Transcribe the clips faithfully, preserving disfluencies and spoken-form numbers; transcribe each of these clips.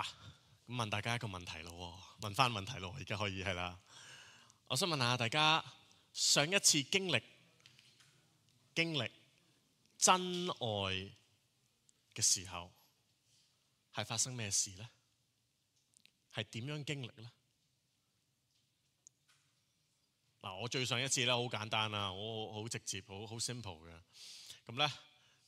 嚇，咁問大家一個問題咯，問翻問題咯，而家可以係啦。我想問下大家，上一次經歷經歷真愛嘅時候，係發生咩事呢？係點樣經歷呢？嗱，我最上一次咧好簡單啊，我好直接，好好 simple 嘅。咁咧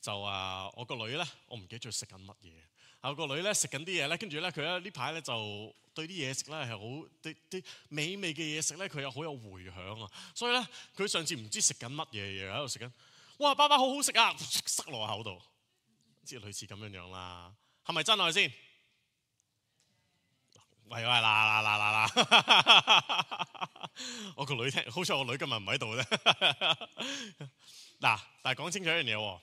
就啊，我個女咧，我唔記得咗食緊乜嘢。啊，我個女咧食緊啲嘢咧，跟住咧佢咧呢排咧就對啲嘢食咧係好啲啲美味嘅嘢食咧，佢有好有迴響啊。所以咧佢上次唔知食緊乜嘢嘢喺度食緊，哇！爸爸好好食啊，塞落口度，即係類似咁樣樣啦。係咪真愛先？喂喂嗱嗱嗱嗱嗱！我個女聽，好彩我女今日唔喺度啫。嗱，但係講清楚一樣嘢喎，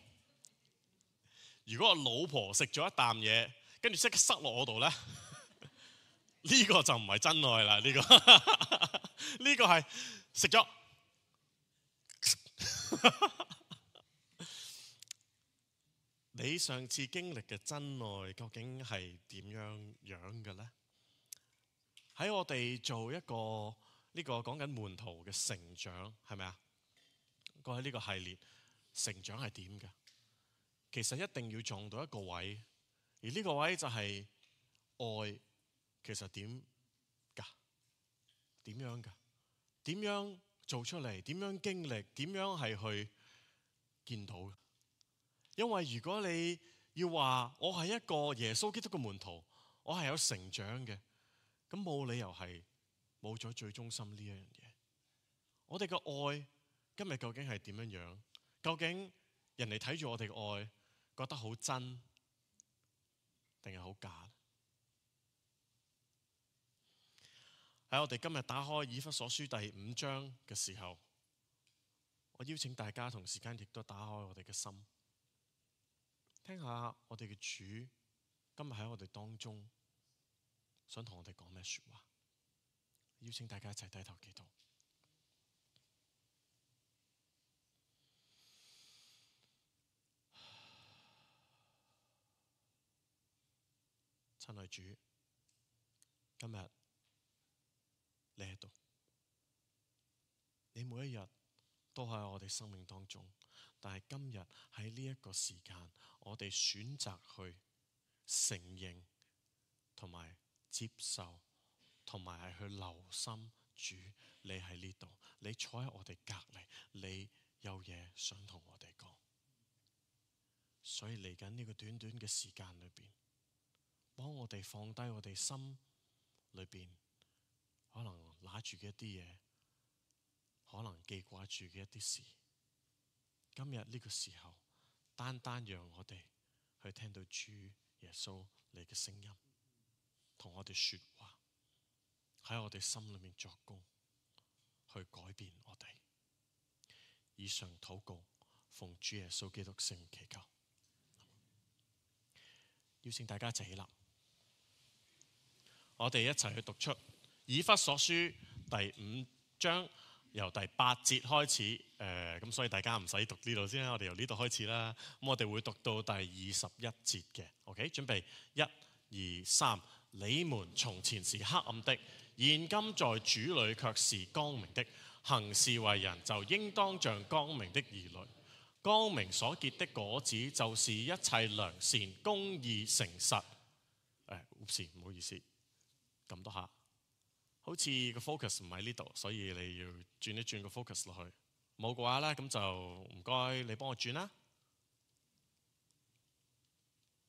如果我老婆食咗一啖嘢，跟住即刻塞落我度咧，呢個就唔係真愛啦。呢個呢個係食咗。你上次經歷嘅真愛究竟係點樣樣嘅咧？喺我哋做一個呢個講緊門徒嘅成長，係咪啊？過去呢個系列成長係點嘅？其實一定要撞到一個位，而呢個位就係愛其實點㗎？點樣㗎？點樣做出嚟？點樣經歷？點樣係去見到嘅？因為如果你要話我係一個耶穌基督嘅門徒，我係有成長嘅。咁冇理由係冇咗最中心呢一樣嘢。我哋嘅愛今日究竟係點樣樣？究竟人哋睇住我哋嘅愛，覺得好真定係好假？喺我哋今日打開以弗所書第五章嘅時候，我邀請大家同時間亦都打開我哋嘅心，聽下我哋嘅主今日喺我哋當中想同我哋講咩說話？邀請大家一齊低頭祈禱。親愛主，今日你喺度，你每一日都喺我哋生命當中，但係今日喺呢一個時間，我哋選擇去承認同埋接受，同埋係去留心主，你喺呢度，你坐喺我哋隔離，你有嘢想同我哋講。所以嚟緊呢個短短嘅時間裏邊，幫我哋放低我哋心裏邊可能拿住嘅一啲嘢，可能記掛住嘅一啲事。今日呢個時候，單單讓我哋去聽到主耶穌你嘅聲音，同我哋說話，喺我哋心裏面作工，去改變我哋。以上禱告，奉主耶穌基督聖名祈求。邀請大家一齊起立，我哋一齊去讀出以弗所書第五章，由第八節開始。誒、呃，咁所以大家唔使讀呢度先啦，我哋由呢度開始啦。咁我哋會讀到第二十一節嘅。OK， 準備，一、二、三。你們從前是黑暗的，現今在主裏卻是光明的。行事為人就應當像光明的兒女。光明所結的果子就是一切良善、公義、誠實。誒，唔好意思，撳多下，好似個 focus 唔喺呢度，所以你要轉一轉個 focus 落去。冇嘅話咧，咁就唔該你幫我轉啦。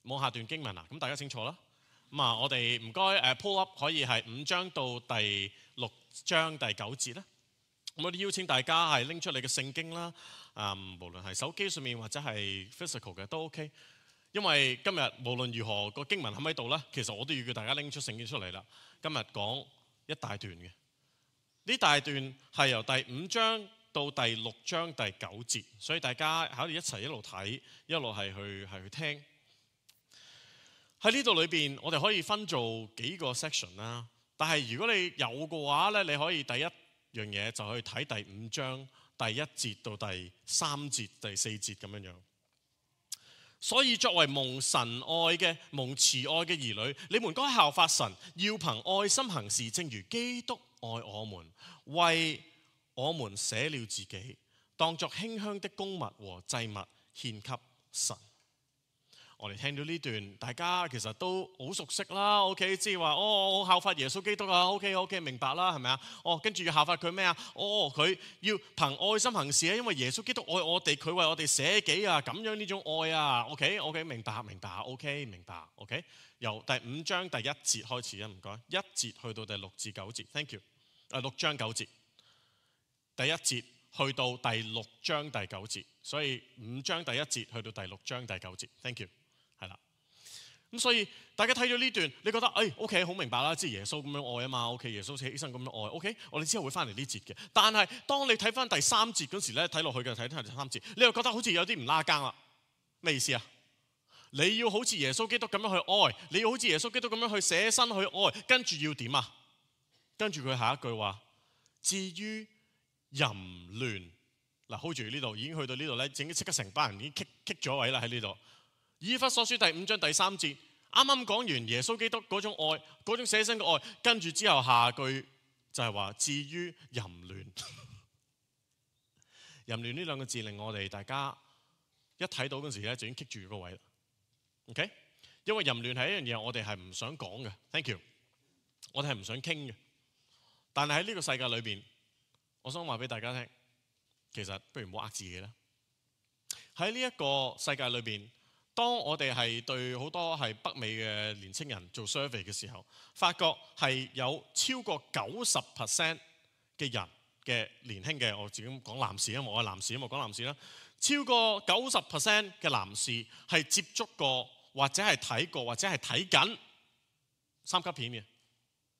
望下段經文啊，咁大家清楚啦。咁啊，我哋唔該誒 pull up 可以係五章到第六章第九節啦。咁我哋邀請大家係拎出你嘅聖經啦，啊，無論係手機上面或者係 physical 嘅都 OK。因為今日無論如何個經文喺唔喺度咧，其實我都要叫大家拎出聖經出嚟啦。今日講一大段嘅，呢大段係由第五章到第六章第九節，所以大家喺度一齊一路睇，一路係去係去聽。喺呢度裏邊，我哋可以分做幾個 section 啦。但係如果你有嘅話咧，你可以第一樣嘢就去睇第五章第一節到第三節、第四節咁樣樣。所以作為蒙神愛嘅、蒙慈愛嘅兒女，你們該效法神，要憑愛心行事，正如基督愛我們，為我們捨了自己，當作馨香的供物和祭物獻給神。我哋聽到呢段，大家其實都好熟悉啦。OK， 即係話哦，我效法耶穌基督啊。OK，OK，、OK, OK, 明白啦，係咪啊？哦，跟住要效法佢咩啊？哦，佢要憑愛心行事啊，因為耶穌基督愛我哋，佢為我哋捨己啊，咁樣呢種愛啊。OK，OK，、OK, OK, 明白，明白。OK，明白。OK， 由第五章第一節開始啊，唔該，一節去到第六至九節。Thank you。啊，六章九節，第一節去到第六章第九節，所以五章第一節去到第六章第九節。Thank you。係啦，咁所以大家睇咗呢段，你覺得誒 OK 好明白啦，即係耶穌咁樣愛啊嘛 ，OK 耶穌犧牲咁樣愛 ，OK 我哋之後會翻嚟呢節嘅。但係當你睇翻第三節嗰時咧，睇落去嘅睇睇第三節，你又覺得好似有啲唔拉更啦。咩意思啊？你要好似耶穌基督咁樣去愛，你要好似耶穌基督咁樣去捨身去愛，跟住要點啊？跟住佢下一句話，至於淫亂，嗱 hold 住呢度，已經去到呢度咧，整即刻成班人已經棘棘咗位啦喺呢度。以弗所書第五章第三節，啱啱講完耶穌基督嗰種愛，嗰種捨身嘅愛，跟住之後下句就係話至於淫亂。淫亂呢兩個字令我哋大家一睇到嗰時咧就已經棘住個位啦。OK， 因為淫亂係一樣嘢，我哋係唔想講嘅。Thank you， 我哋係唔想傾嘅。但係喺呢個世界裏邊，我想話俾大家聽，其實不如唔好呃自己啦。喺呢一個世界裏邊，當我哋係對好多係北美嘅年青人做 survey 嘅時候，發覺係有超過九十 percent 嘅人嘅年輕嘅，我自己講男士，因為我係男士，因為我講男士啦，超過九十 percent 嘅男士係接觸過或者係睇過或者係睇緊三級片嘅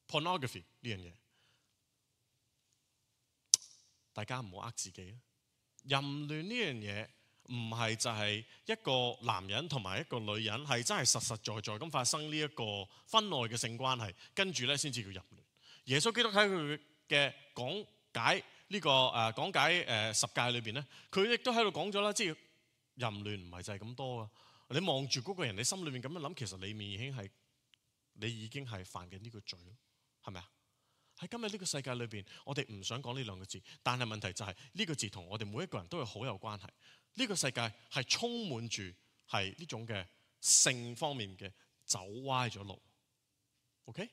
pornography 呢樣嘢。大家唔好呃自己，淫亂呢樣嘢唔係就係一個男人同埋一個女人係真係實實在在咁發生呢一個婚外嘅性關係，跟住咧先至叫淫亂。耶穌基督喺佢嘅講解呢個誒講解誒十誡裏邊咧，佢亦都喺度講咗啦，即係淫亂唔係就係咁多啊！你望住嗰個人，你心裏面咁樣諗，其實你面已經係你已經係犯緊呢個罪咯，係咪啊？喺今日呢個世界裏邊，我哋唔想講呢兩個字，但係問題就係呢個字同我哋每一個人都係好有關係。呢個世界係充滿住係呢種嘅性方面嘅走歪咗路。OK？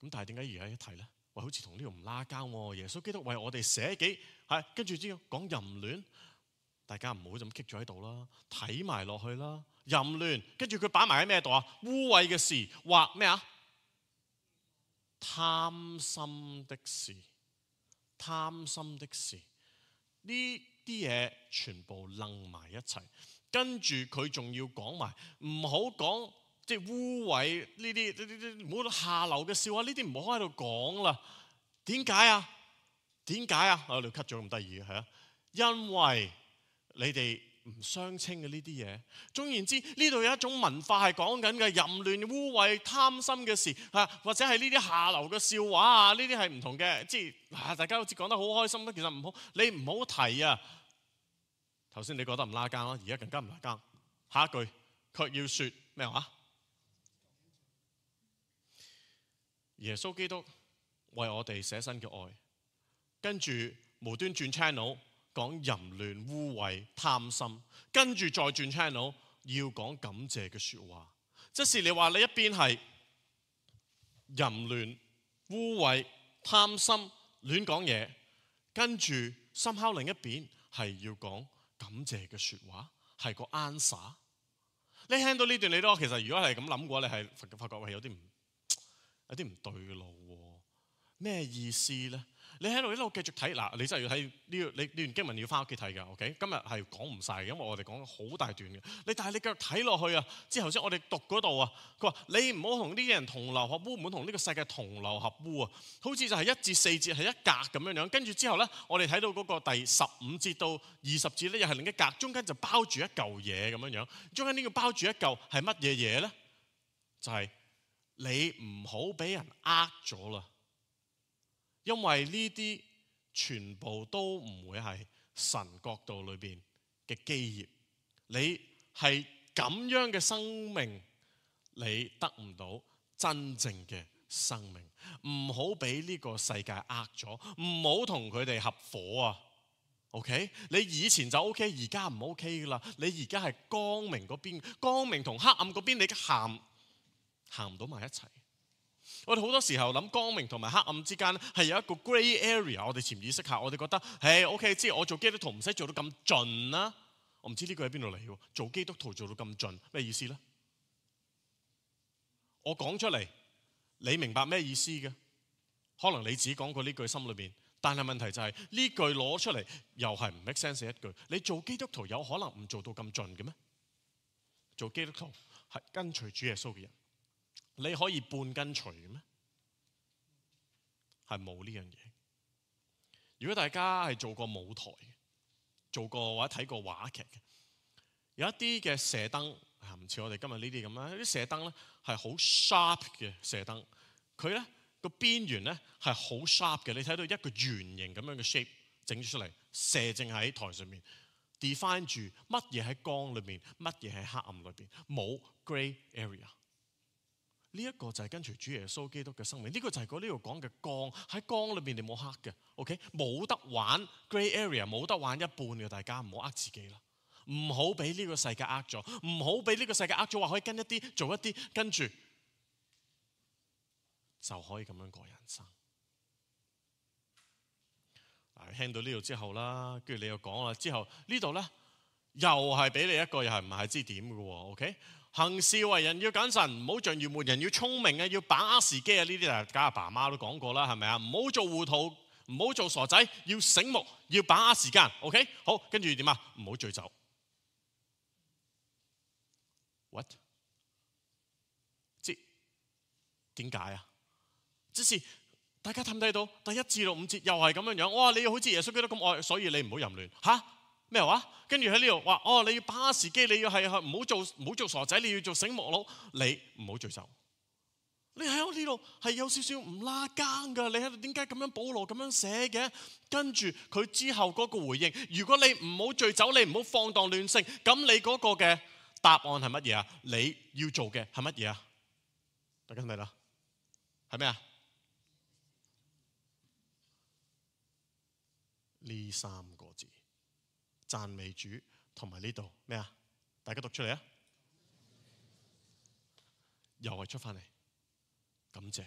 咁但係點解而家一提咧？喂，好似同呢度唔拉交喎。耶穌基督為我哋捨己，係跟住之後講淫亂，大家唔好咁棘咗喺度啦，睇埋落去啦。淫亂，跟住佢擺埋喺咩度啊？污穢嘅事，或咩啊？貪心的事，貪心的事，呢啲嘢全部楞埋一齊，跟住佢仲要講埋，唔好講即係污穢呢啲呢啲唔好下流嘅笑話，呢啲唔好喺度講啦。點解啊？點解啊？我哋 cut 咗咁得意嘅係啊，因為你哋唔相稱嘅呢啲嘢。總言之，呢度有一種文化係講緊嘅淫亂、污穢、貪心嘅事啊，或者係呢啲下流嘅笑話啊，呢啲係唔同嘅。即係啊，大家好似講得好開心啦，其實唔好，你唔好提啊。頭先你覺得唔拉更啦，而家更加唔拉更。下一句卻要說咩話？耶穌基督為我哋捨身嘅愛，跟住無端轉 channel 講淫亂、污穢、貪心，跟住再轉 channel 要講感謝嘅說話。即是你話你一邊係淫亂、污穢、貪心、亂講嘢，跟住心口另一邊係要講感謝嘅說話，係個 answer。你聽到呢段，你都其實如果係咁諗嘅話，你係發覺係有啲唔有啲唔對路喎。咩意思咧？你喺度一路繼續睇嗱，你真係要睇呢個你呢段經文要翻屋企睇㗎。OK， 今日係講唔晒嘅，因為我哋講好大段嘅。你但係你繼續睇落去啊，之後先我哋讀嗰度啊，佢話你唔好同呢啲人同流合污，唔好同呢個世界同流合污啊。好似就係一至四節係一格咁樣樣，跟住之後咧，我哋睇到嗰個第十五節到二十節咧，又係另一格，中間就包住一嚿嘢咁樣樣。中間呢個包住一嚿係乜嘢嘢咧？就係、是、你唔好俾人呃咗啦。因為呢啲全部都唔會係神國度裏邊嘅基業，你係咁樣嘅生命，你得唔到真正嘅生命。唔好俾呢個世界呃咗，唔好同佢哋合夥啊。OK， 你以前就 OK， 而家唔 OK 噶啦。你而家係光明嗰邊，光明同黑暗嗰邊，你行行唔到埋一齊。我哋好多時候諗光明同埋黑暗之間係有一個 grey area， 我哋潛意識下，我哋覺得，誒 OK， 即係我做基督徒唔使做到咁盡啦。我唔知呢個喺邊度嚟喎？做基督徒做到咁盡，咩意思呢？我講出嚟，你明白咩意思嘅？可能你自己講過呢句心裏邊，但係問題就係呢句攞出嚟又係唔 make sense 一句。你做基督徒有可能唔做到咁盡嘅咩？做基督徒係跟隨主耶穌嘅人，你可以半跟隨嘅咩？係冇呢樣嘢。如果大家係做過舞台、做過或者睇過話劇嘅，有一啲嘅射燈，唔似我哋今日呢啲咁啦。啲射燈咧係好 sharp 嘅射燈，佢咧個邊緣咧係好 sharp 嘅。你睇到一個圓形咁樣嘅 shape 整咗出嚟，射正喺台上面 define 住乜嘢喺光裏面，乜嘢喺黑暗裏邊，冇 grey area。呢一個就係跟隨主耶穌基督嘅生命，呢個就係嗰呢度講嘅光，喺光裏邊你冇黑嘅 ，OK， 冇得玩 grey area， 冇得玩一半嘅，大家唔好呃自己啦，唔好俾呢個世界呃咗，唔好俾呢個世界呃咗話可以跟一啲做一啲，跟住就可以咁樣過人生。嗱，聽到呢度之後啦，跟住你又講啦，之後呢度咧又係俾你一個又係唔係知點嘅喎 ，OK？行事為人要謹慎，唔好像愚昧人，要聰明啊，要把握時機啊！呢啲大家阿爸阿媽都講過啦，係咪啊？唔好做糊塗，唔好做傻仔，要醒目，要把握時間。OK， 好，跟住點啊？唔好醉酒。What？ 即點解啊？即是大家睇唔睇到第一至到五節又係咁樣樣？哇！你要好似耶穌基督咁愛，所以你唔好淫亂嚇。咩話？跟住喺呢度話哦，你要把握時機，你要係唔好做唔好做傻仔，你要做醒目佬，你唔好醉酒。你喺我呢度係有少少唔拉更㗎，你喺度點解咁樣保羅咁樣寫嘅？跟住佢之後嗰個回應，如果你唔好醉酒，你唔好放蕩亂性，咁你嗰個嘅答案係乜嘢啊？你要做嘅係乜嘢啊？大家睇唔睇啦？係咩啊？呢三個字。讚美主同埋呢度咩啊？大家讀出嚟啊！又係出翻嚟，感謝。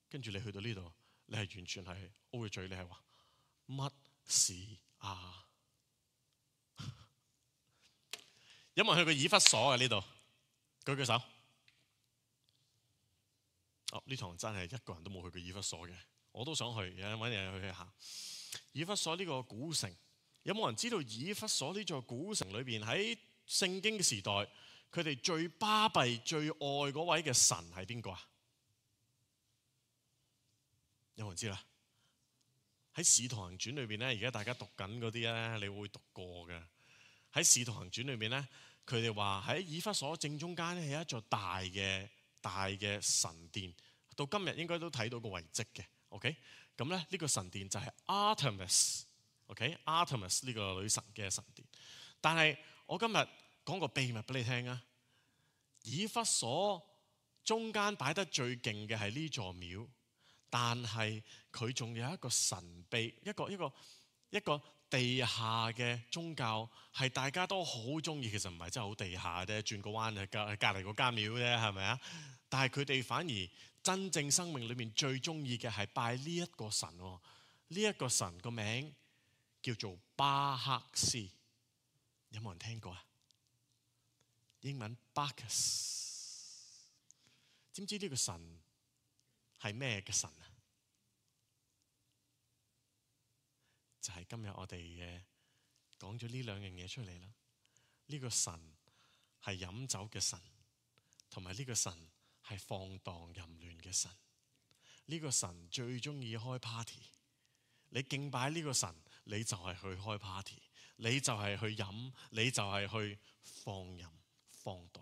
跟住你去到呢度，你係完全係 O 住嘴，你係話乜事啊？有冇人去過以弗所嘅呢度？舉舉手。哦，呢堂真係一個人都冇去過以弗所嘅，我都想去，有人揾人去下。以弗所呢個古城。有冇人知道以弗所呢座古城裏邊喺聖經嘅時代，佢哋最巴閉、最愛嗰位嘅神係邊個啊？有冇人知啦？喺《使徒行傳》裏邊咧，而家大家讀緊嗰啲咧，你會讀過嘅。喺《使徒行傳》裏邊咧，佢哋話喺以弗所正中間咧係一座大嘅、大嘅神殿，到今日應該都睇到個遺跡嘅。OK，咁咧呢個神殿就係 Artemis。OK，Artemis、okay? 呢個女神嘅神殿，但係我今日講個秘密俾你聽啊！以弗所中間擺得最勁嘅係呢座廟，但係佢仲有一個神秘，一個一個一個地下嘅宗教，係大家都好中意。其實唔係真係好地下啫，轉個彎就隔隔離嗰間廟啫，係咪啊？但係佢哋反而真正生命裏面最中意嘅係拜呢一個神喎。呢一個神個名叫做巴克斯，有冇人聽過啊？英文 Bacchus， 知唔知呢個神係咩嘅神啊？就係、是、今日我哋嘅講咗呢兩樣嘢出嚟啦。呢、這個神係飲酒嘅神，同埋呢個神係放蕩淫亂嘅神。呢、這個神最中意開 party， 你敬拜呢個神，你就係去開 party， 你就係去飲，你就係去放淫放蕩。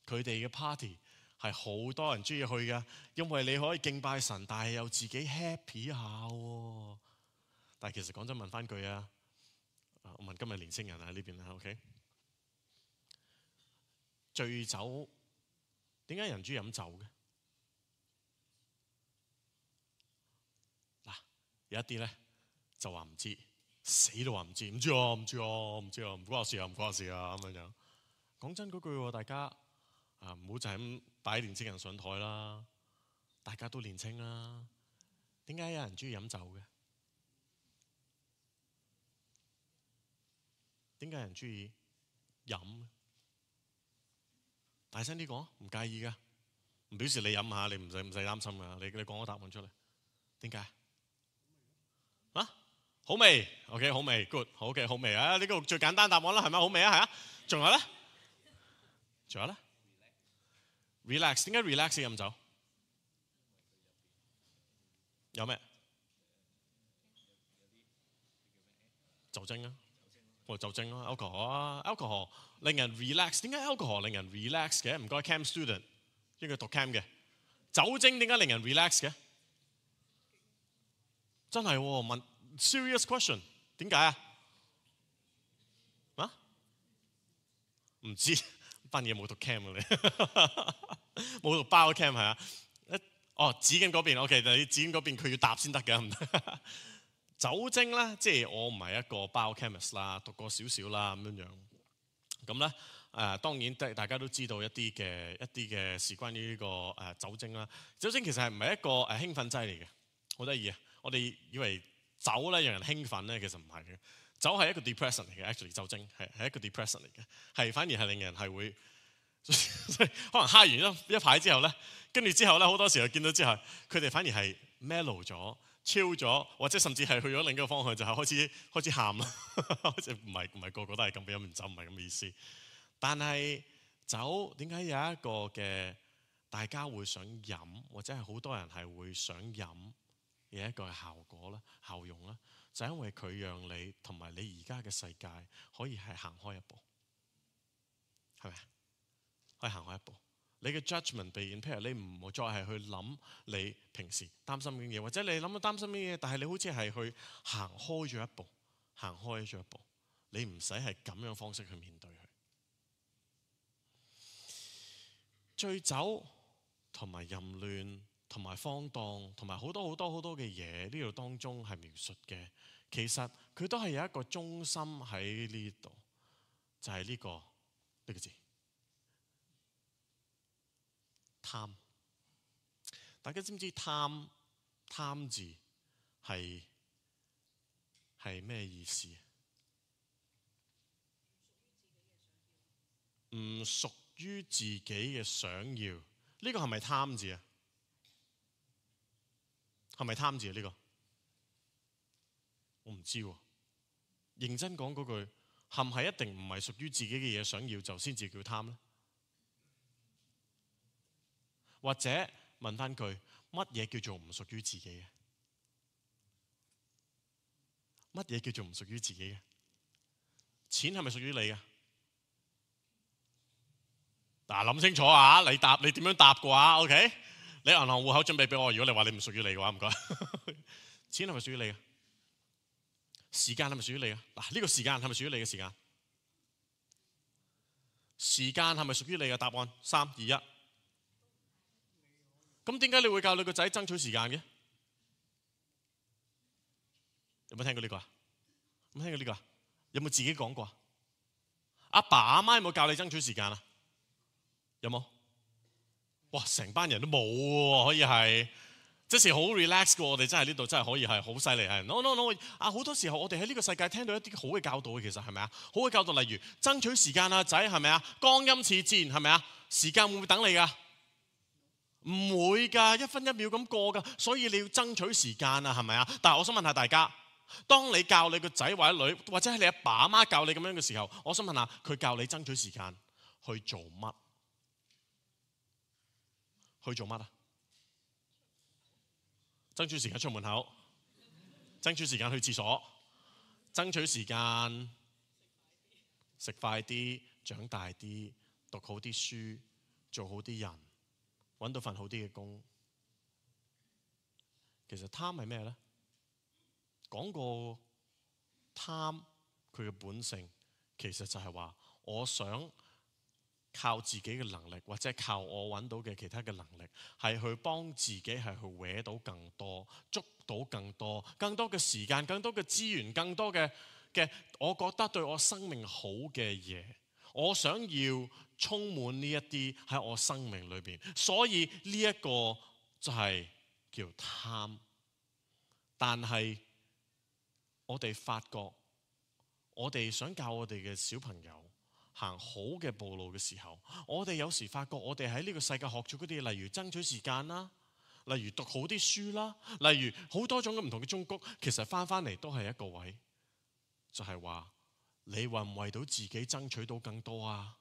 佢哋嘅 party 係好多人中意去嘅，因為你可以敬拜神，但係又自己 happy 下喎。但係其實講真，問翻句啊，我問今日年青人喺呢邊啦 ，OK？醉酒，點解人中意飲酒嘅？嗱，有一啲咧就話唔知，死都話唔知，唔知啊，唔知啊，唔知啊，唔關我事啊，唔關我事啊咁樣樣。講真嗰句喎，大家啊唔好就係咁擺年青人上台啦，大家都年青啦。點解有人中意飲酒嘅？點解有人中意飲？大聲啲講，唔介意噶，唔表示你飲下，你唔使唔使擔心噶。你你講個答案出嚟，點解？啊，好味 ，OK， 好味 ，good， 好嘅，好味啊！呢個最簡單答案啦，係咪好味啊？係啊，仲有咧？仲有咧 ？relax， 點解 relax 飲酒？有咩？酒精啊，或者酒精咯 ，alcohol 啊 ，alcohol 令人 relax。點解 alcohol 令人 relax 嘅？唔該 cam student， 呢個讀 cam 嘅。酒精點解令人 relax 嘅？真係問 serious question， 點解啊？啊？唔知，班嘢冇讀 cam 嘅你，冇讀 bio cam 係啊？哦，紙巾嗰邊 OK， 但係紙巾嗰邊佢要答先得嘅，唔得。酒精咧，即係我唔係一個 biochemist 啦，讀過少少啦咁樣樣。咁咧誒，當然大家都知道一啲嘅一啲嘅事關於呢個誒酒精啦。酒精其實係唔係一個誒興奮劑嚟嘅？好得意啊！我哋以為酒咧讓人興奮咧，其實唔係嘅。酒係一個 depressant 嚟嘅 ，actually 酒精係係一個 depressant 嚟嘅，係反而係令人係會可能嗨完一一排之後咧，跟住之後咧好多時候見到之後，佢哋反而係 mellow 咗。超咗，或者甚至係去咗另一個方向，就係、是、開始開始喊啦。好似唔係唔係個個都係咁，飲完酒唔係咁嘅意思。但係酒點解有一個嘅大家會想飲，或者係好多人係會想飲嘅一個效果咧、效用咧，就係、因為佢讓你同埋你而家嘅世界可以係行開一步，係咪？可以行開一步。你嘅 judgment 被 impair， 你唔好再係去諗你平時擔心嘅嘢，或者你諗到擔心嘅嘢，但係你好似係去行開咗一步，行開咗一步，你唔使係咁樣方式去面對佢。醉酒同埋淫亂同埋荒蕩同埋好多好多好多嘅嘢，呢度當中係描述嘅，其實佢都係有一個中心喺呢度，就係呢個呢個字。貪，大家知唔知貪貪字係係咩意思？唔屬於自己嘅想要，呢個係咪貪字啊？係咪貪字啊？呢個我唔知喎。認真講嗰句，係唔係一定唔係屬於自己嘅嘢想要就先至叫貪呢？或者問翻句，乜嘢叫做唔屬於自己嘅？乜嘢叫做唔屬於自己嘅？錢係咪屬於你嘅？嗱，諗清楚啊！你答你點樣答嘅話 ，OK？ 你銀行戶口準備俾我。如果你話你唔屬於你嘅話，唔該。錢係咪屬於你嘅？時間係咪屬於你嘅？嗱，呢個時間係咪屬於你嘅時間？時間係咪屬於你嘅？答案三二一。咁點解你會教你個仔爭取時間嘅？有冇聽過呢個啊？有冇聽過呢個啊？有冇自己講過啊？阿爸阿媽有冇教你爭取時間啊？有冇？哇！成班人都冇喎，可以係即是好 relax 嘅。我哋真係呢度真係可以係好犀利係。no no no 啊！好多時候我哋喺呢個世界聽到一啲好嘅教導嘅，其實係咪啊？好嘅教導，例如爭取時間啊，仔係咪啊？光陰似箭係咪啊？時間會唔會等你㗎？唔會㗎，一分一秒咁過㗎，所以你要爭取時間啊，係咪啊？但係我想問下大家，當你教你個仔或者女，或者係你阿爸阿媽教你咁樣嘅時候，我想問下佢教你爭取時間去做乜？去做乜啊？爭取時間出門口，爭取時間去廁所，爭取時間食快啲、長大啲、讀好啲書、做好啲人。揾到份好啲嘅工，其實貪係咩呢？講過貪佢嘅本性，其實就係話我想靠自己嘅能力，或者靠我揾到嘅其他嘅能力，係去幫自己係去搲到更多，捉到更多，更多嘅時間，更多嘅資源，更多嘅嘅，我覺得對我生命好嘅嘢，我想要充滿呢一啲喺我生命裏邊，所以呢一個就係叫貪。但係我哋發覺，我哋想教我哋嘅小朋友行好嘅步路嘅時候，我哋有時發覺我哋喺呢個世界學咗嗰啲，例如爭取時間啦，例如讀好啲書啦，例如好多種嘅唔同嘅忠告，其實翻翻嚟都係一個位，就係話你為唔為到自己爭取到更多啊？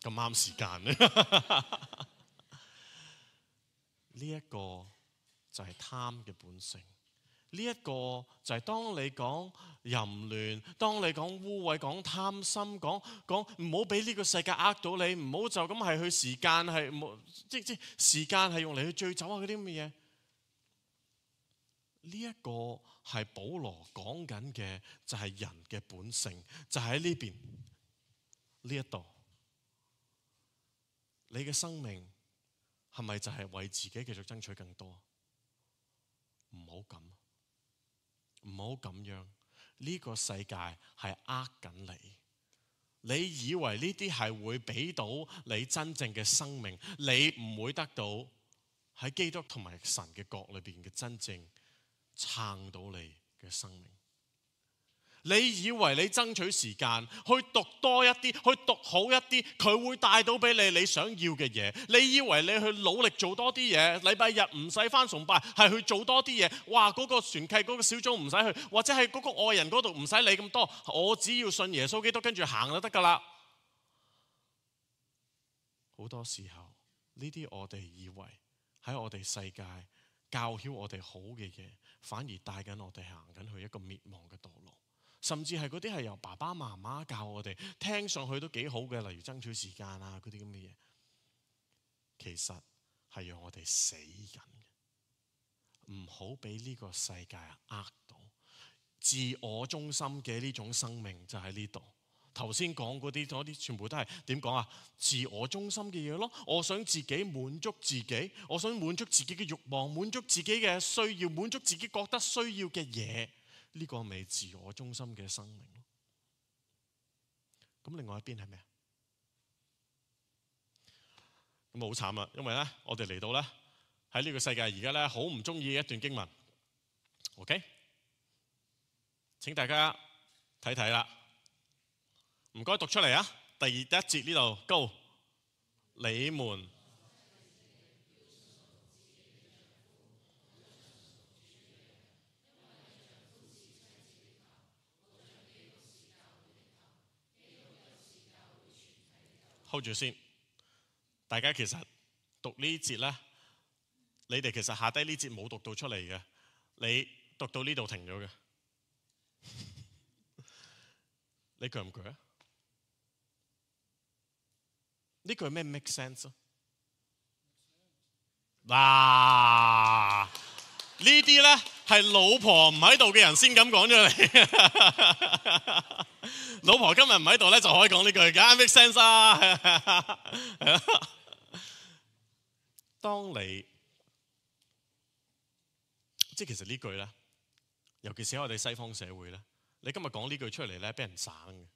咁啱時間呢一個就係貪嘅本性。呢一個就係當你講淫亂，當你講污穢，講貪心，講講唔好俾呢個世界呃到你，唔好就咁係去時間係冇，即即時間係用嚟去醉酒啊嗰啲咁嘅嘢。呢一個係保羅講緊嘅，就係人嘅本性，就喺呢邊呢一度。你嘅生命係咪就係為自己繼續爭取更多？唔好咁。唔好咁樣，呢個世界係呃緊你。你以為呢啲係會俾到你真正嘅生命，你唔會得到喺基督同埋神嘅國裏邊嘅真正撐到你嘅生命。你以為你爭取時間去讀多一啲，去讀好一啲，佢會帶到俾你你想要嘅嘢。你以為你去努力做多啲嘢，禮拜日唔使返崇拜，係去做多啲嘢。哇！嗰個團契嗰個小組唔使去，或者係嗰個愛人嗰度唔使理咁多，我只要信耶穌基督跟住行就得㗎啦。好多時候呢啲我哋以為喺我哋世界教曉我哋好嘅嘢，反而帶緊我哋行緊去一個滅亡嘅道路。甚至係嗰啲係由爸爸媽媽教我哋，聽上去都幾好嘅，例如爭取時間啊嗰啲咁嘅嘢，其實係讓我哋死緊嘅。唔好俾呢個世界呃到，自我中心嘅呢種生命就喺呢度。頭先講嗰啲嗰啲全部都係點講啊？自我中心嘅嘢咯，我想自己滿足自己，我想滿足自己嘅慾望，滿足自己嘅需要，滿足自己覺得需要嘅嘢。呢個咪自我中心嘅生命咯。咁另外一邊係咩？咁好慘啦，因為咧，我哋嚟到咧喺呢個世界而家咧，好唔中意一段經文。OK， 請大家睇睇啦。唔該讀出嚟啊！第二第一節呢度高，你們。hold 住先，大家其實讀呢節咧，你哋其實下低呢節冇讀到出嚟嘅，你讀到呢度停咗嘅，你鋸唔鋸啊？呢句咩 make sense 啊？嗱，呢啲咧係老婆唔喺度嘅人先咁講出嚟。老婆今日唔喺度咧，就可以講呢句，梗係 make sense 啊！係啦，當你即係其實呢句咧，尤其是喺我哋西方社會咧，你今日講呢句出嚟咧，俾人省嘅，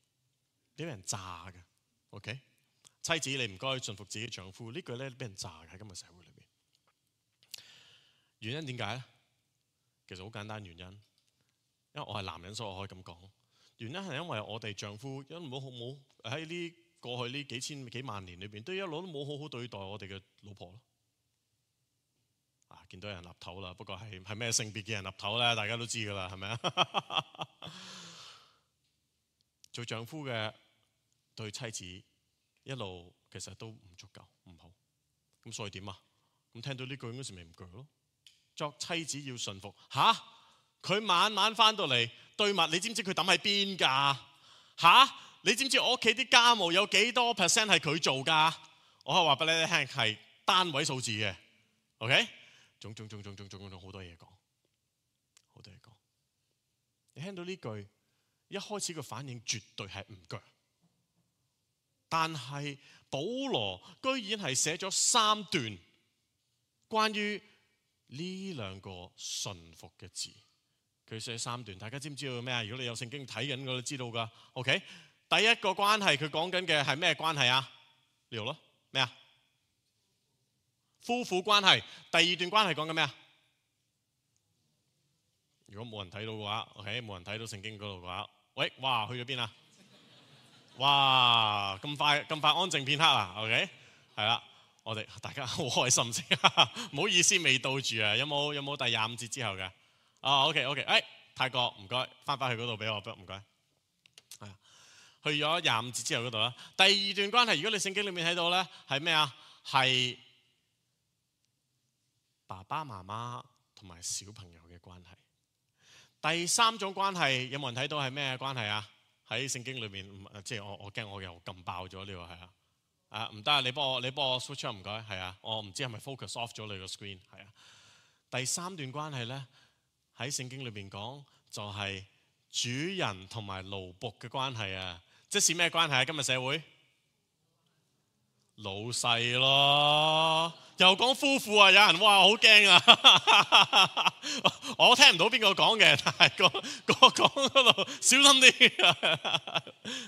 俾人炸嘅。OK， 妻子你唔該順服自己丈夫，呢句咧俾人炸嘅喺今日社會裏邊。原因點解咧？其實好簡單原因，因為我係男人，所以我可以咁講。原因係因為我哋丈夫一冇好冇喺呢過去呢幾千幾萬年裏邊，都一路都冇好好對待我哋嘅老婆咯。啊，見到有人立頭啦，不過係係咩性別嘅人立頭咧？大家都知㗎啦，係咪啊？做丈夫嘅對妻子一路其實都唔足夠，唔好。咁所以點啊？咁聽到呢句嗰時咪唔鋸咯。作妻子要順服吓。佢晚晚翻到嚟對襪，你知唔知佢抌喺邊㗎？嚇！你知唔知我屋企啲家務有幾多 percent 係佢做㗎？我可以話俾你聽，係單位數字嘅。OK， 種種種種種種種好多嘢講，好多嘢講。你聽到呢句，一開始嘅反應絕對係唔鋸，但係保羅居然係寫咗三段關於呢兩個順服嘅字。佢寫三段，大家知唔知道咩啊？如果你有聖經睇緊，我都知道噶。OK， 第一個關係佢講緊嘅係咩關係啊？呢度咯，咩啊？夫婦關係。第二段關係講緊咩啊？如果冇人睇到嘅話 ，OK， 冇人睇到聖經嗰度嘅話，喂，哇，去咗邊啊？哇，咁快咁快安靜片刻啊 ？OK， 係啦，我哋大家好開心先，唔好意思未到住啊。有冇有冇第廿五節之後嘅？哦 ，OK OK， 誒，泰國唔該，翻返去嗰度俾我，唔該。係啊，去咗廿五節之後嗰度啦。第二段關係，如果你聖經裏面睇到咧，係咩啊？係爸爸媽媽同埋小朋友嘅關係。第三種關係有冇人睇到係咩關係啊？喺聖經裏面，即係我我驚我又撳爆咗呢個係啊。啊，唔得啊！你幫我你幫我 switch 唔該，係啊，我唔知係咪 focus off 咗你個 screen， 係啊。第三段關係咧，喺聖經裏邊講就係主人同埋奴僕嘅關係啊。即是咩關係啊？今日社會老細咯，又講夫婦啊！有人哇好驚啊！我聽唔到邊個講嘅，但係個個講嗰度小心啲。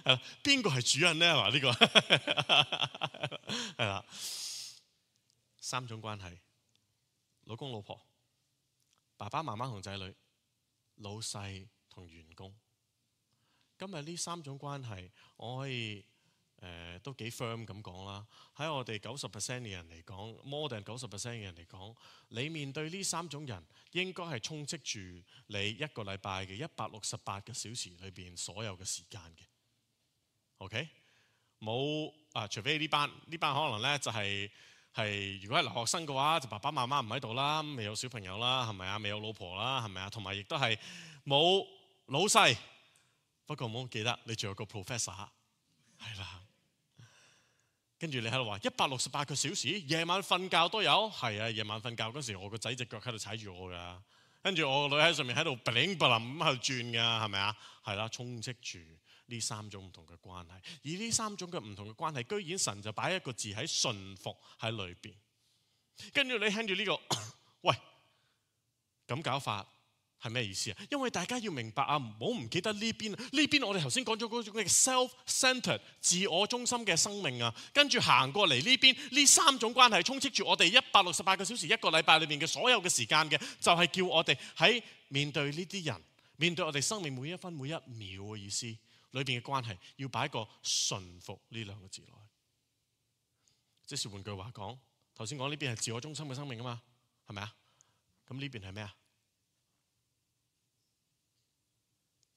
係邊個係主人咧？話呢個係啦，三種關係：老公老婆、爸爸媽媽同仔女、老細同員工。今日呢三種關係，我可以。誒、呃、都幾 firm 咁講啦，喺我哋九十 percent 嘅人嚟講 ，more than 九十 percent 嘅人嚟講，你面對呢三種人，應該係充斥住你一個禮拜嘅一百六十八個小時裏邊所有嘅時間嘅。OK， 冇啊，除非呢班呢班可能咧就係、係、係如果係留學生嘅話，就爸爸媽媽唔喺度啦，未有小朋友啦，係咪啊？未有老婆啦，係咪啊？同埋亦都係冇老細。不過唔好記得，你仲有個 professor， 係啦。跟住你喺度話一百六十八個小時，夜晚瞓覺都有，係啊，夜晚瞓覺嗰時，我個仔隻腳喺度踩住我㗎，跟住我個女喺上面喺度 bling bling 咁喺度轉㗎，係咪啊？係啦，充斥住呢三種唔同嘅關係，而呢三種嘅唔同嘅關係，居然神就擺一個字喺順服喺裏邊。跟住你聽住呢個，喂，咁搞法係咩意思啊？因為大家要明白啊，唔好唔記得呢邊，呢邊我哋頭先講咗嗰種嘅 self-centered 自我中心嘅生命啊，跟住行過嚟呢邊，呢三種關係充斥住我哋一百六十八個小時一個禮拜裏面嘅所有嘅時間嘅，就係叫我哋喺面對呢啲人，面對我哋生命每一分每一秒嘅意思裏邊嘅關係，要擺個順服呢兩個字落去。即是換句話講，頭先講呢邊係自我中心嘅生命啊嘛，係咪啊？咁呢邊係咩啊？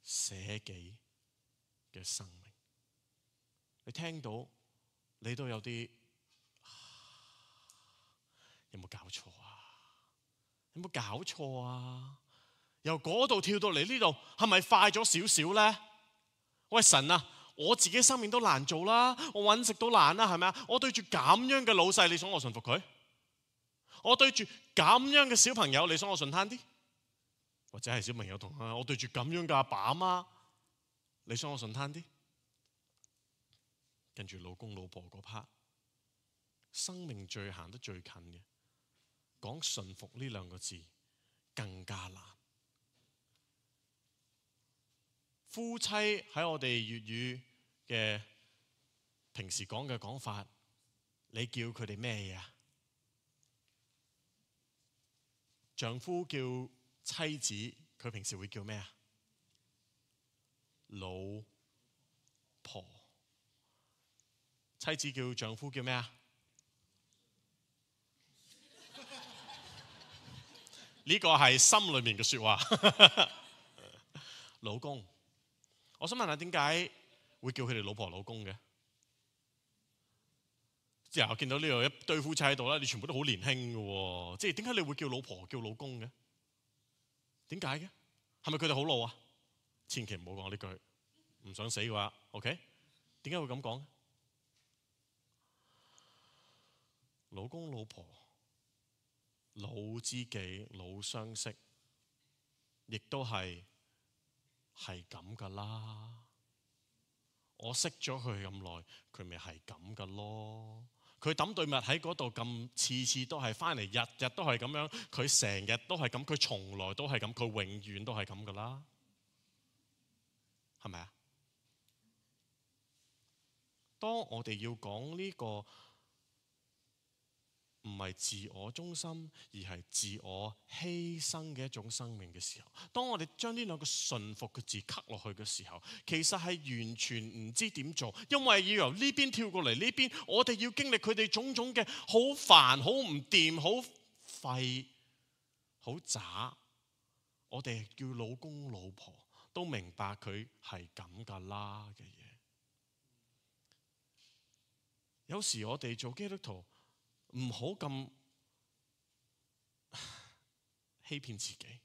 捨己嘅生命，你聽到你都有啲有冇搞錯啊？有冇搞錯啊？由嗰度跳到嚟呢度，係咪快咗少少咧？喂，神啊，我自己生命都難做啦，我搵食都難啦，係咪啊？我對住咁樣嘅老細，你想我順服佢？我對住咁樣嘅小朋友，你想我順攤啲？或者係小朋友同啊，我對住咁樣嘅阿爸阿媽，你想我順攤啲？跟住老公老婆嗰 part， 生命最行得最近嘅，講順服呢兩個字更加難。夫妻喺我哋粵語嘅平時講嘅講法，你叫佢哋咩嘢啊？丈夫叫妻子，佢平時會叫咩啊？老婆。妻子叫丈夫叫咩啊？呢個係心裏面嘅說話。老公，我想問下點解會叫佢哋老婆老公嘅？之後我見到呢度一堆夫妻喺度啦，你全部都好年輕嘅喎，即係點解你會叫老婆叫老公嘅？點解嘅？係咪佢哋好老啊？千祈唔好講呢句，唔想死嘅話 ，OK？ 點解會咁講？老公老婆老知己老相識，亦都係係咁噶啦。我識咗佢咁耐，佢咪係咁噶咯。佢抌對襪喺嗰度咁，次次都係翻嚟，日日都係咁樣。佢成日都係咁，佢從來都係咁，佢永遠都係咁噶啦，係咪啊？當我哋要講呢個唔係自我中心，而係自我犧牲嘅一種生命嘅時候，當我哋將呢兩個順服嘅字刻落去嘅時候，其實係完全唔知點做，因為要由呢邊跳過嚟呢邊，我哋要經歷佢哋種種嘅好煩、好唔掂、好廢、好渣。我哋叫老公老婆都明白佢係咁噶啦嘅嘢。有時我哋做基督徒唔好咁欺騙自己，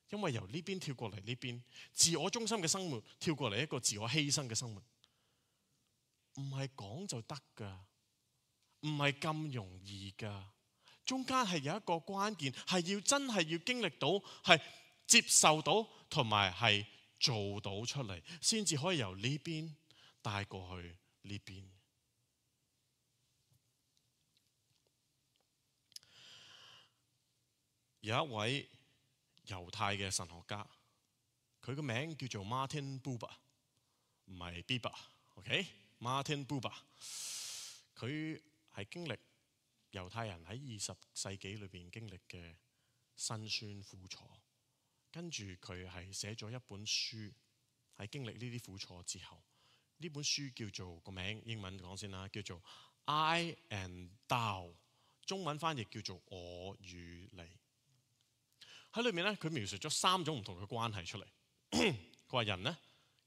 因為由呢邊跳過嚟呢邊，自我中心嘅生活跳過嚟一個自我犧牲嘅生活，唔係講就得噶，唔係咁容易噶。中間係有一個關鍵，係要真係要經歷到，係接受到，同埋係做到出嚟，先至可以由呢邊帶過去呢邊。有一位猶太嘅神學家，佢個名叫做 Martin Buber， 唔係 Bieber，OK？Martin Buber， 佢係經歷猶太人喺二十世紀裏邊經歷嘅辛酸苦楚，跟住佢係寫咗一本書，喺經歷呢啲苦楚之後，呢本書叫做個名英文講先啦，叫做 I and Thou， 中文翻譯叫做我與你。喺裏面咧，佢描述咗三種唔同嘅關係出嚟。佢話人咧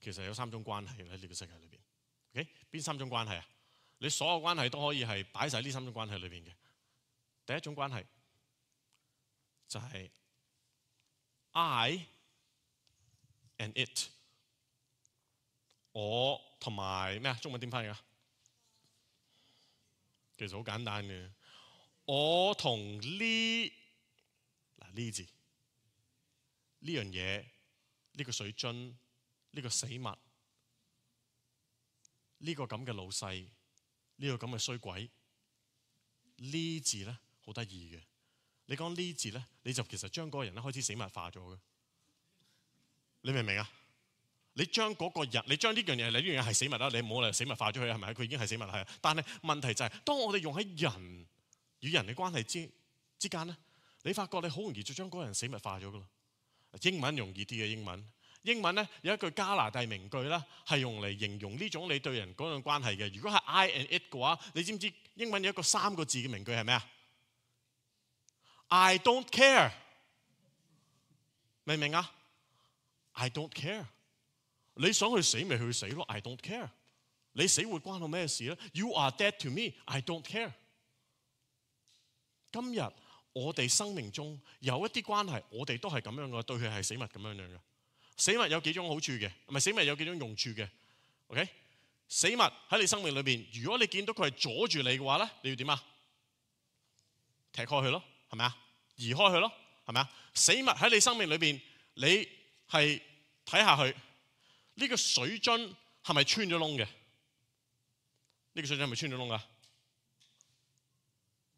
其實有三種關係喺呢個世界裏邊。OK， 邊三種關係啊？你所有關係都可以係擺晒呢三種關係裏邊嘅。第一種關係就係 I and it， 我同埋咩啊？中文點翻譯啊？其實好簡單嘅，我同呢嗱呢字。呢樣嘢，呢個水樽，呢個死物，呢個咁嘅老細，呢個咁嘅衰鬼，呢字咧好得意嘅。你講呢字咧，你就其實將嗰個人咧開始死物化咗嘅。你明唔明啊？你將嗰個人，你將呢樣嘢，你呢樣嘢係死物啦，你唔好嚟死物化咗佢，係咪？佢已經係死物係。但係問題就係，當我哋用喺人與人嘅關係之之間咧，你發覺你好容易就將嗰個人死物化咗噶啦。英文容易啲嘅，英文英文咧有一句加拿大名句啦，係用嚟形容呢種你對人嗰種關係嘅。如果係 I and it 嘅話，你知唔知英文有一個三個字嘅名句係咩啊？ I don't care， 明唔明啊？ I don't care， 你想去死咪去死咯。 I don't care， 你死活關我咩事咧？ You are dead to me， I don't care。 今日我哋生命中有一啲關係，我哋都係咁樣嘅，對佢係死物咁樣樣嘅。死物有幾種好處嘅，唔係死物有幾種用處嘅。OK， 死物喺你生命裏邊，如果你見到佢係阻住你嘅話咧，你要點啊？踢開佢咯，係咪啊？移開佢咯，係咪啊？死物喺你生命裏邊，你係睇下佢呢個水樽係咪穿咗窿嘅？呢個水樽係咪穿咗窿啊？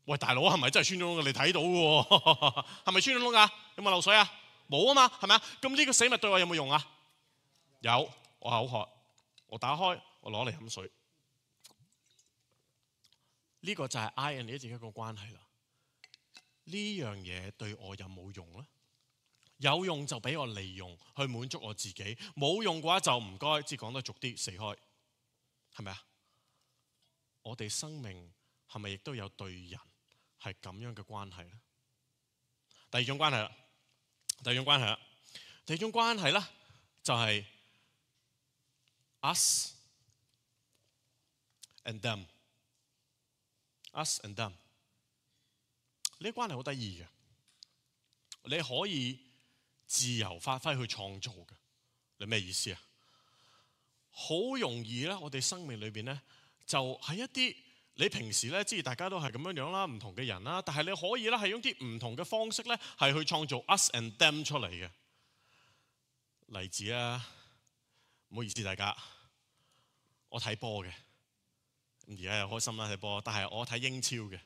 喂，大佬係咪真係穿咗窿？你睇到嘅喎，係咪穿咗窿㗎？有冇漏水啊？冇啊嘛，係咪啊？咁呢個死物對我有冇用啊？有，我口渴，我打開，我攞嚟飲水。呢個就係 I and it 自己一個關係啦。呢樣嘢對我有冇用咧？有用就俾我利用去滿足我自己，冇用嘅話就唔該，即係講得俗啲，死開，係咪啊？我哋生命係咪亦都有對人係咁樣嘅關係咧？第二種關係啦，第二種關係啦，第二種關係咧就係 us and them，us and them。呢啲關係好得意嘅，你可以自由發揮去創造嘅。你咩意思啊？好容易咧，我哋生命裏邊咧就係一啲你平時咧，即係大家都係咁樣樣啦，唔同嘅人啦，但係你可以咧係用啲唔同嘅方式咧係去創造 us and them 出嚟嘅。例子啊，唔好意思大家，我睇波嘅，而家又開心啦睇波，但係我睇英超嘅，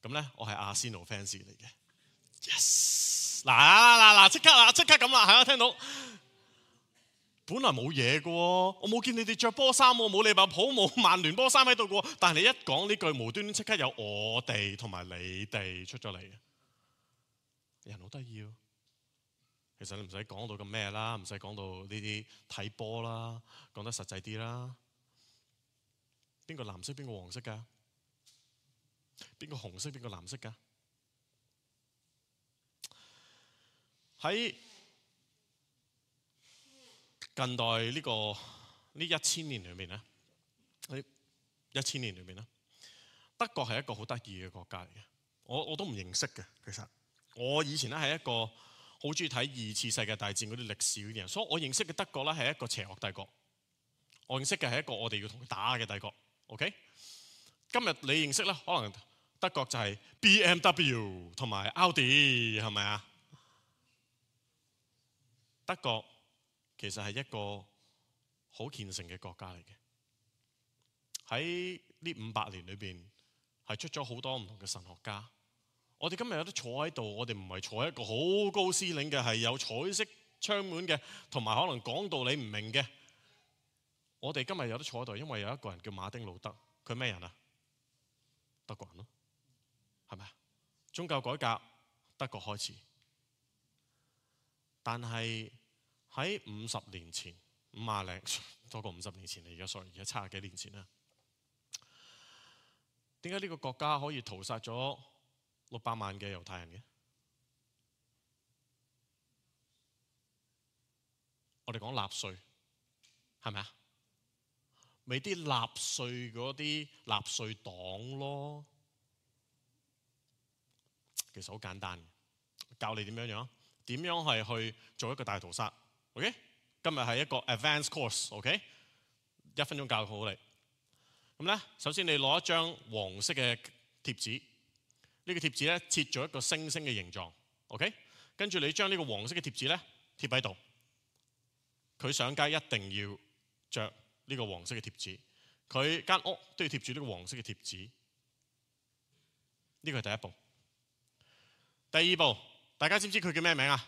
咁咧我係阿仙奴 fans 嚟嘅。Yes， 嗱嗱嗱，即刻啦，即刻咁啦，係啊，聽到。本來冇嘢嘅喎，我冇見你哋着波衫喎，冇利物浦冇曼聯波衫喺度嘅喎，但係你一講呢句，無端端即刻有我哋同埋你哋出咗嚟，人好得意喎。其實你唔使講到咁咩啦，唔使講到呢啲睇波啦，講得實際啲啦。邊個藍色邊個黃色㗎？邊個紅色邊個藍色㗎？喺近代呢、這個呢一千年裏面咧，喺一千年裏面咧，德國係一個好得意嘅國家嚟嘅。我我都唔認識嘅，其實我以前咧係一個好中意睇二次世界大戰嗰啲歷史嗰啲人，所以我認識嘅德國咧係一個邪惡帝國。我認識嘅係一個我哋要同佢打嘅帝國。OK， 今日你認識咧，可能德國就係 B M W 同埋 Audi 係咪啊？德國其實係一個好虔誠嘅國家嚟嘅。喺呢五百年裏邊係出咗好多唔同嘅神學家。我哋今日有得坐喺度，我哋唔係坐喺一個好高司令嘅，係有彩色窗門嘅，同埋可能講道理唔明嘅。我哋今日有得坐喺度，因為有一個人叫馬丁路德，佢咩人啊？德國人咯，係咪啊？宗教改革德國開始，但係喺五十年前，五廿零多過五十年前嚟，而家 sorry，而家七十幾年前啦。點解呢個國家可以屠殺咗六百萬嘅猶太人嘅？我哋講納粹，係咪啊？咪啲納粹嗰啲納粹黨咯。其實好簡單，教你點樣樣，點樣係去做一個大屠殺。OK， 今日係一個 advanced course。OK， 一分鐘教好你。咁咧，首先你攞一張黃色嘅貼紙，呢個貼紙咧切咗一個星星嘅形狀。OK， 跟住你將呢個黃色嘅貼紙咧貼喺度。佢上街一定要着呢個黃色嘅貼紙，佢間屋都要貼住呢個黃色嘅貼紙。呢個係第一步。第二步，大家知唔知佢叫咩名啊？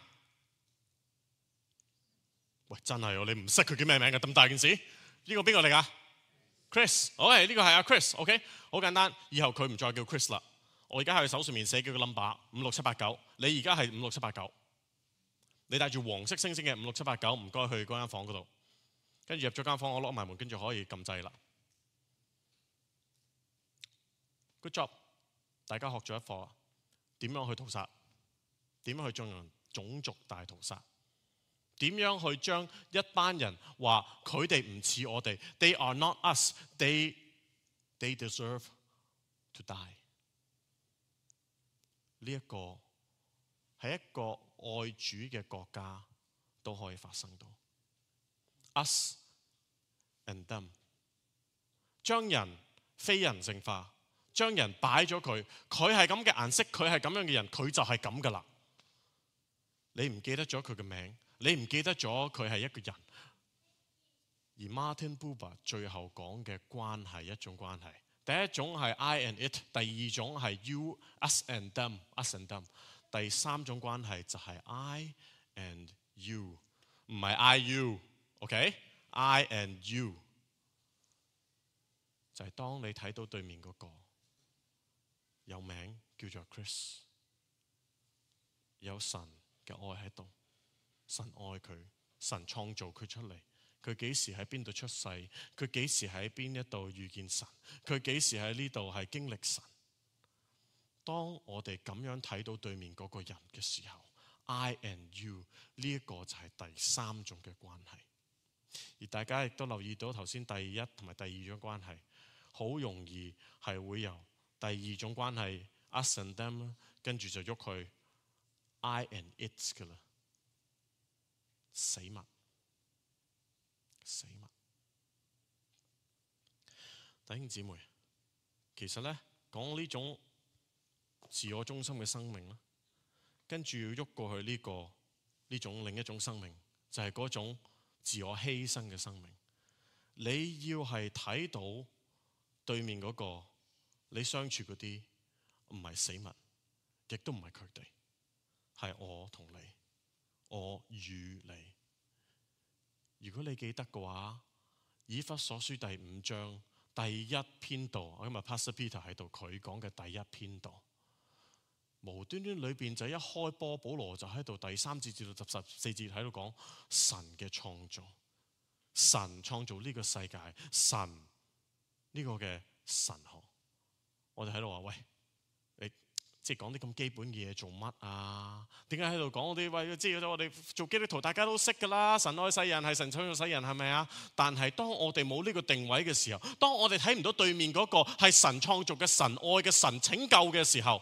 喂，真係喎，你唔識佢叫咩名㗎？咁大件事，呢個邊個嚟㗎？Chris， 好嘅，呢個係阿 Chris，OK， 好簡單。以後佢唔再叫 Chris 啦。我而家喺佢手上面寫幾個 number， 五六七八九。你而家係五六七八九。你帶住黃色星星嘅五六七八九，唔該去嗰間房嗰度。跟住入咗間房，我攞埋門，跟住可以撳掣啦。Good job， 大家學咗一課，點樣去屠殺？點樣去進行種族大屠殺？點樣去將一班人話佢哋唔似我哋 ，They are not us, they they deserve to die。呢一個係一個愛主嘅國家都可以發生到 us and them， 將人非人性化，將人擺咗佢，佢係咁嘅顏色，佢係咁樣嘅人，佢就係咁噶啦。你唔記得咗佢嘅名，你唔記得咗佢係一個人。而 Martin Buber 最後講嘅關係一種關係，第一種係 I and it， 第二種係 you us and them us and them， 第三種關係就係 I and you， 唔係 I you，OK？ I and you 就係當你睇到對面嗰個有名叫做 Chris， 有神嘅愛喺度，神愛佢，神創造佢出嚟。佢幾時喺邊度出世？佢幾時喺邊一度遇見神？佢幾時喺呢度係經歷神？當我哋咁樣睇到對面嗰個人嘅時候 ，I and you 呢一個就係第三種嘅關係。而大家亦都留意到頭先第一同埋第二種關係，好容易係會由第二種關係 us and them， 跟住就喐去 I and it 噶啦，死物。死物，弟兄姊妹，其實咧講呢種自我中心嘅生命咧，跟住要喐過去呢、這個呢種另一種生命就係嗰種自我犧牲嘅生命。你要係睇到對面嗰個你相處嗰啲唔係死物，亦都唔係佢哋，係我同你，我與你。如果你記得嘅話，以弗所書第五章第一篇道，我今日 Pastor Peter 喺度，佢講嘅第一篇道，無端端裏邊就一開波，保羅就喺度第三節至到十四節喺度講神嘅創造，神創造呢個世界，神呢個嘅神學。我哋喺度話喂，你即係講啲咁基本嘅嘢做乜啊？點解喺度講嗰啲喂？即係我哋做基督徒大家都識㗎啦，神愛世人係神創造世人，係咪啊？但係當我哋冇呢個定位嘅時候，當我哋睇唔到對面嗰個係神創造嘅神愛嘅神拯救嘅時候，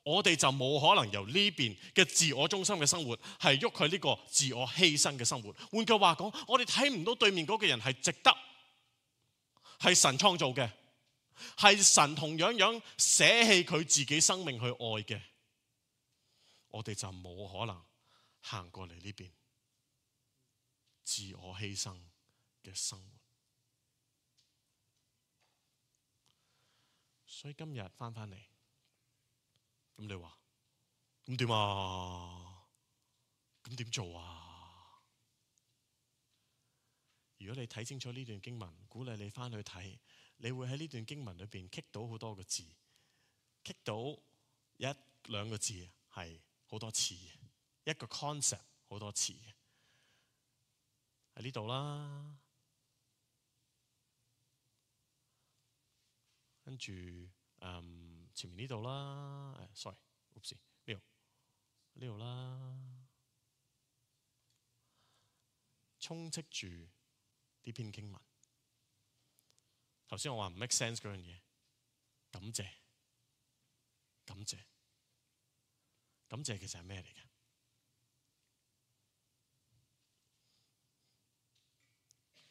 我哋就冇可能由呢邊嘅自我中心嘅生活係喐佢呢個自我犧牲嘅生活。換句話講，我哋睇唔到對面嗰個人係值得，係神創造嘅，係神同樣樣捨棄佢自己生命去愛嘅，我哋就冇可能行過嚟呢邊自我犧牲嘅生活。所以今日翻返嚟，咁你話咁點啊？咁點做啊？如果你睇清楚呢段經文，鼓勵你翻去睇，你會喺呢段經文裏邊棘到好多個字，棘到一兩個字係好多次嘅，一個 concept 好多次嘅，喺呢度啦，跟住嗯前面呢度啦，誒 sorry，oops 呢度呢度啦，充斥住呢篇經文。頭先我話唔 make sense 嗰樣嘢，感謝，感謝，感謝其實係咩嚟嘅？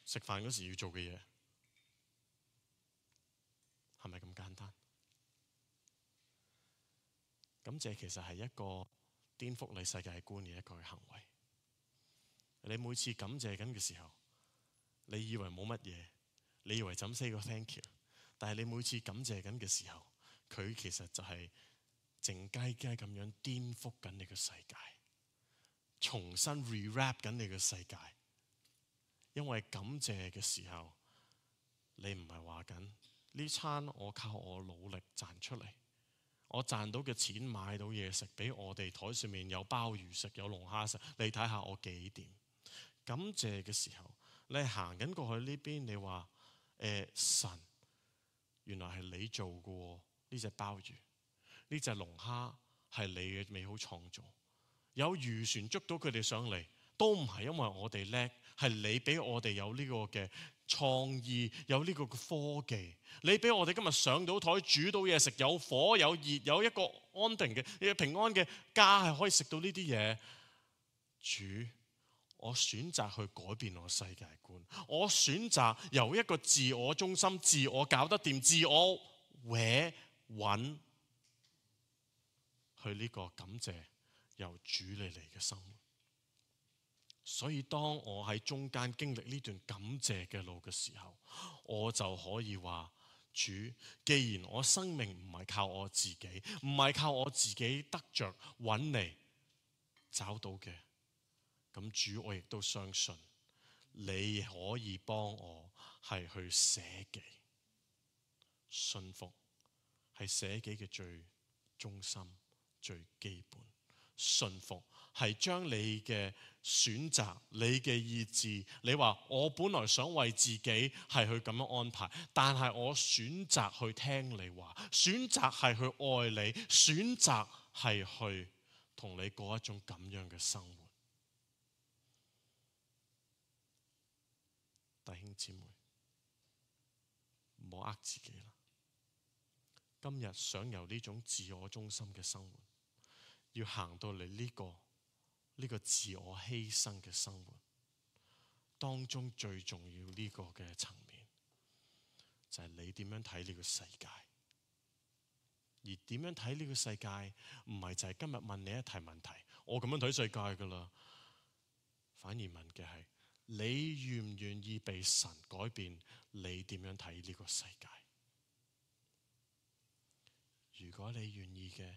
食飯嗰時要做嘅嘢係咪咁簡單？感謝其實係一個顛覆你世界觀嘅一個行為。你每次感謝緊嘅時候，你以為冇乜嘢，你以為就咁 say 個 thank you， 但係你每次感謝緊嘅時候，佢其實就係靜雞雞咁樣顛覆緊你嘅世界，重新 rewrap 緊你嘅世界。因為感謝嘅時候，你唔係話緊呢餐我靠我努力賺出嚟，我賺到嘅錢買到嘢食，俾我哋台上面有鮑魚食，有龍蝦食，你睇下我幾掂。感謝嘅時候，你行緊過去呢邊，你話誒、呃、神，原來係你做嘅呢隻鮑魚，呢隻龍蝦係你嘅美好創造。有漁船捉到佢哋上嚟，都唔係因為我哋叻，係你俾我哋有呢個嘅創意，有呢個嘅科技。你俾我哋今日上到台煮到嘢食，有火有熱，有一個安定嘅平安嘅家，係可以食到呢啲嘢。主，我選擇去改變我世界觀，我選擇由一個自我中心、自我搞得掂、自我搲揾去呢個感謝由主你嚟嘅生活。所以當我喺中間經歷呢段感謝嘅路嘅時候，我就可以話，主，既然我生命唔係靠我自己，唔係靠我自己得着揾嚟找到嘅，咁主，我亦都相信你可以幫我係去捨己，信服係捨己嘅最中心、最基本。信服係將你嘅選擇、你嘅意志，你話我本來想為自己係去咁樣安排，但係我選擇去聽你話，選擇係去愛你，選擇係去同你過一種咁樣嘅生活。弟兄姊妹，唔好呃自己啦。今日想由呢種自我中心嘅生活，要行到嚟呢個呢個自我犧牲嘅生活當中，最重要呢個嘅層面就係你點樣睇呢個世界。而點樣睇呢個世界，唔係就係今日問你一題問題，我咁樣睇世界噶啦。反而問嘅係你願唔願意被神改變你點樣睇呢個世界？如果你願意嘅，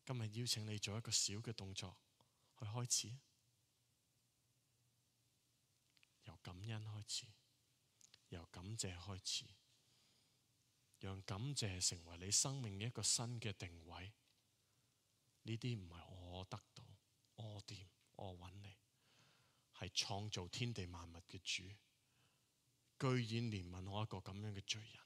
今日邀請你做一個小嘅動作去開始，由感恩開始，由感謝開始，讓感謝成為你生命一個新嘅定位。呢啲唔係我得到，我掂，我揾你，係創造天地萬物嘅主，居然憐憫我一個咁樣嘅罪人，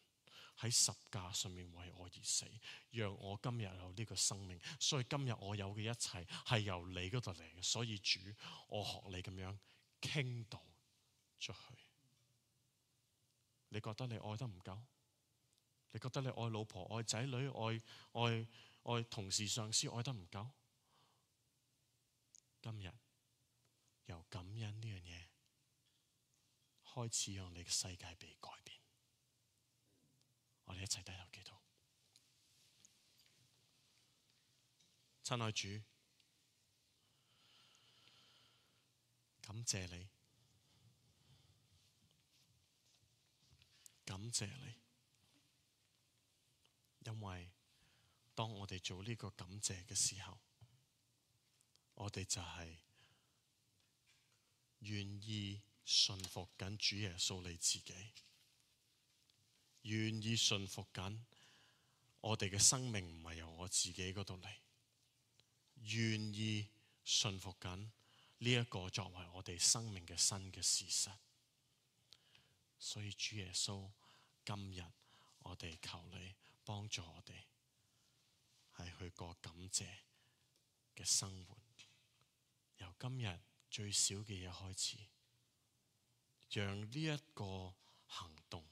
喺十架上面為我而死，讓我今日有呢個生命。所以今日我有嘅一切係由你嗰度嚟嘅。所以主，我學你咁樣傾倒出去。你覺得你愛得唔夠？你覺得你愛老婆、愛仔女、愛愛愛同事、上司愛得唔夠？今日由感恩呢樣嘢開始，讓你嘅世界被改變。我哋一齊低頭祈禱。親愛主，感謝你，感謝你，因為當我哋做呢個感謝嘅時候，我哋就係願意順服緊主耶穌你自己，願意順服緊我哋嘅生命唔係由我自己嗰度嚟，願意順服緊呢一個作為我哋生命嘅新嘅事實。所以主耶穌，今日我哋求你幫助我哋係去過感謝嘅生活，由今日最少嘅嘢開始，讓呢一個行動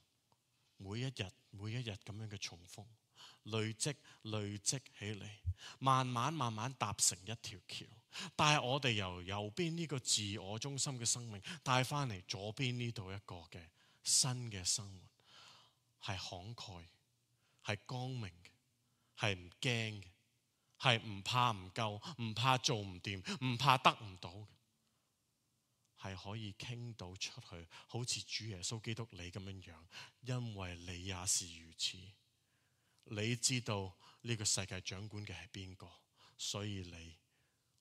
每一日每一日咁樣嘅重複累積累積起嚟，慢慢慢慢搭成一條橋，但係我哋由右邊呢個自我中心嘅生命帶翻嚟左邊呢度一個嘅新嘅生活，係慷慨，係光明嘅，係唔驚嘅，係唔怕唔夠，唔怕做唔掂，唔怕得唔到嘅，係可以傾到出去，好似主耶穌基督你咁樣樣，因為你也是如此。你知道呢個世界掌管嘅係邊個，所以你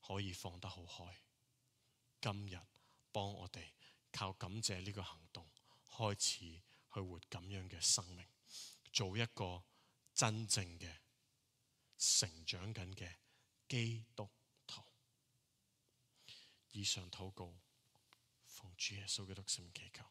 可以放得好開。今日幫我哋靠感謝呢個行動開始去活咁樣嘅生命，做一個真正嘅成長緊嘅基督徒。以上禱告奉主耶穌基督聖名祈求。